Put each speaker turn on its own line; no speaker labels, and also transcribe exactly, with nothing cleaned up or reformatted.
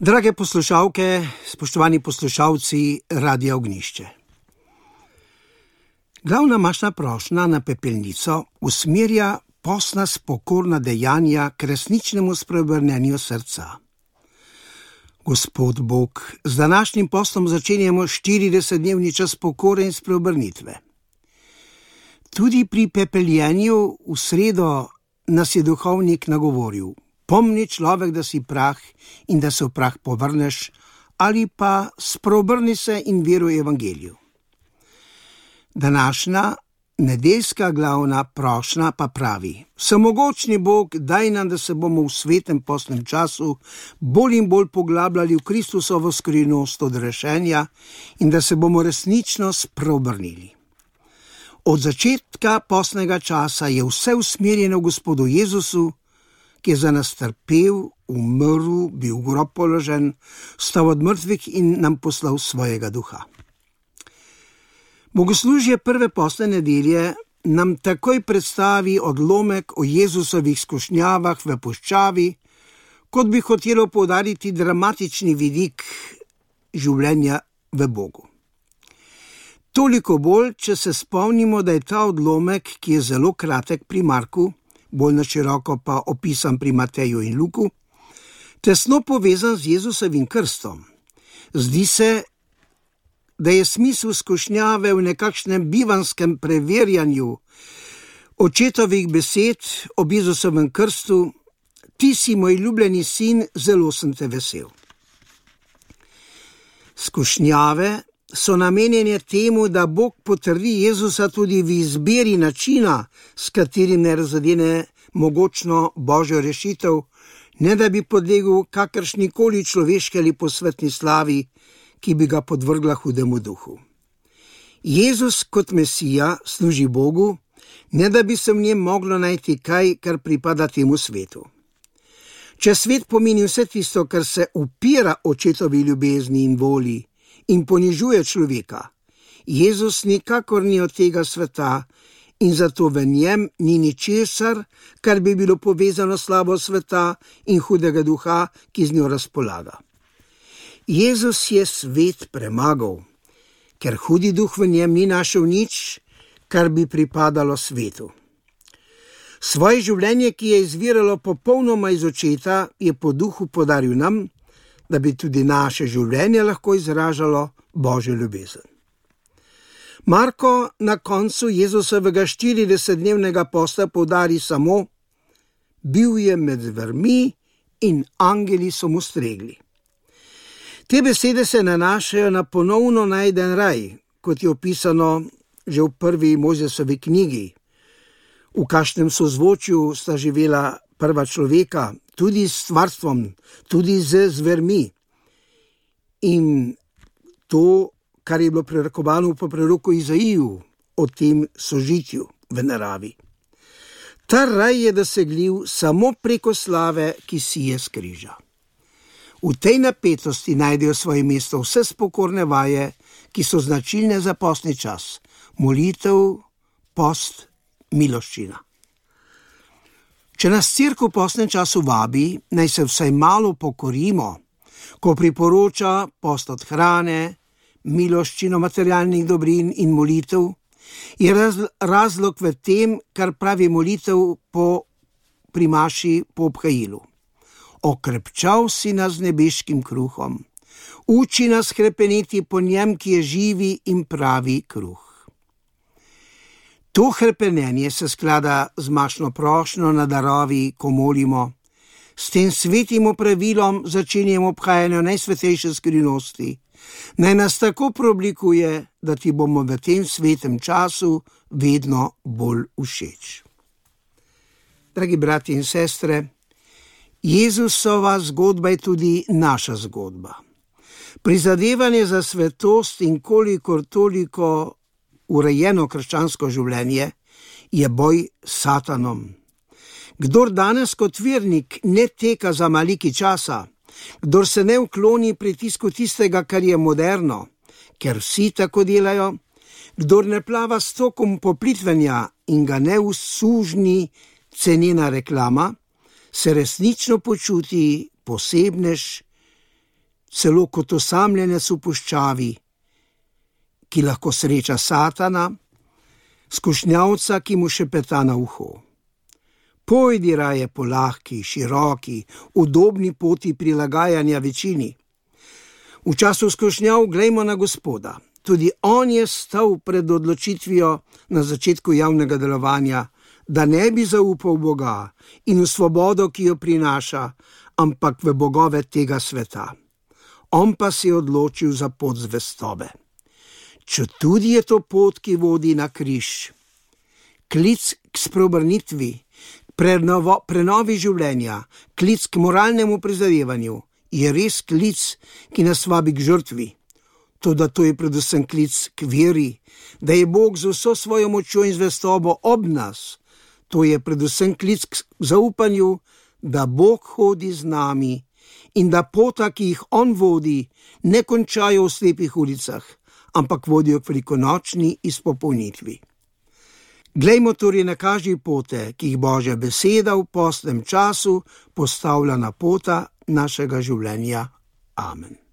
Drage poslušalke, spoštovani poslušalci Radia Ognjišče. Glavna mašna prošnja na pepelnico usmerja postna spokorna dejanja k resničnemu spreobrnenju srca. Gospod Bog, z današnjim postom začenjamo štiridesetdnevni čas pokore in spreobrnitve. Tudi pri pepeljenju v sredo nas je duhovnik nagovoril: pomni človek, da si prah in da se v prah povrneš, ali pa spreobrni se in veruj evangeliju. Današnja nedeljska glavna prošnja pa pravi: Vsemogočni Bog, daj nam, da se bomo v svetem postnem času bolj in bolj poglabljali v Kristusovo skrivnost odrešenja in da se bomo resnično spreobrnili. Od začetka postnega časa je vse usmerjeno v Gospodu Jezusu, ki je za nas trpel, umrl, bil v grob položen, vstal od mrtvih in nam poslal svojega duha. Bogoslužje prve postne nedelje nam takoj predstavi odlomek o Jezusovih skušnjavah v puščavi, kot bi hotelo poudariti dramatični vidik življenja v Bogu. Toliko bolj, če se spomnimo, da je ta odlomek, ki je zelo kratek pri Marku, bolj na široko pa opisan pri Mateju in Luku, tesno povezan z Jezusovim krstom. Zdi se, da je smisel skušnjave v nekakšnem bivanskem preverjanju očetovih besed ob Jezusovem krstu: ti si moj ljubljeni sin, zelo sem te vesel. Skušnjave so namenjene temu, da Bog potrdi Jezusa tudi v izbiri načina, s katerim ne razadene mogočno Božjo rešitev, ne da bi podlegel kakršnikoli človeški ali posvetni slavi, ki bi ga podvrgla hudemu duhu. Jezus kot Mesija služi Bogu, ne da bi se v njem moglo najti kaj, kar pripada temu svetu. Če svet pomeni vse tisto, kar se upira očetovi ljubezni in volji in ponižuje človeka, Jezus nikakor ni od tega sveta in zato v njem ni ničesar, kar bi bilo povezano s slavo sveta in hudega duha, ki z njo razpolaga. Jezus je svet premagal, ker hudi duh v njem ni našel nič, kar bi pripadalo svetu. Svoje življenje, ki je izviralo popolnoma iz očeta, je po duhu podaril nam, da bi tudi naše življenje lahko izražalo Božjo ljubezen. Marko na koncu Jezusovega štiridesetdnevnega posta poudari samo: bil je med zvermi in angeli so mu stregli. Te besede se nanašajo na ponovno najden raj, kot je opisano že v prvi Mojzesovi knjigi. V kakšnem sozvočju sta živela prva človeka, tudi s stvarstvom, tudi z zvermi. In to, kar je bilo prerekovano po proroku Izaiju o tem sožitju v naravi. Ta raj je dosegljiv samo preko slave, ki sije s križa. V tej napetosti najdejo svoje mesto vse spokorne vaje, ki so značilne za postni čas: molitev, post, miloščina. Če nas cerkev v postnem času vabi, naj se vsaj malo pokorimo, ko priporoča post od hrane, miloščino materialnih dobrin in molitev, je razlog v tem, kar pravi molitev po primaši po obhajilu. Okrepčal si nas z nebeškim kruhom, uči nas hrepeneti po njem, ki je živi in pravi kruh. To hrepenenje se sklada z mašno prošnjo na darovi, ko molimo. S tem svetim opravilom začenjamo obhajanje najsvetejše skrivnosti. Naj nas tako preoblikuje, da ti bomo v tem svetem času vedno bolj všeč. Dragi brati in sestre, Jezusova zgodba je tudi naša zgodba. Prizadevanje za svetost in kolikor toliko urejeno krščansko življenje je boj s Satanom. Kdor danes kot vernik ne teka za maliki časa, kdor se ne ukloni pritisku tistega, kar je moderno, ker vsi tako delajo, kdor ne plava s tokom poplitvenja in ga ne usužni cenena reklama, se resnično počuti posebnež celo kot osamljenec v puščavi, ki lahko sreča Satana, skušnjavca, ki mu šepeta na uho. Pojdi raje po lahki, široki, udobni poti prilagajanja večini. V času skušnjav glejmo na Gospoda. Tudi on je stal pred odločitvijo na začetku javnega delovanja, da ne bi zaupal Boga in v svobodo, ki jo prinaša, ampak v bogove tega sveta. On pa si je odločil za pot zvestobe. Četudi je to pot, ki vodi na križ. Klic k spreobrnitvi, prenovo, prenovi življenja, klic k moralnemu prizadevanju je res klic, ki nas vabi k žrtvi. Toda to je predvsem klic k veri, da je Bog z vso svojo močjo in zvestobo ob nas. To je predvsem klic k zaupanju, da Bog hodi z nami in da pota, ki jih on vodi, ne končajo v slepih ulicah, ampak vodijo k velikonočni izpopolnitvi. Glejmo torej na kažji pote, ki jih Božja beseda v postnem času postavlja na pota našega življenja. Amen.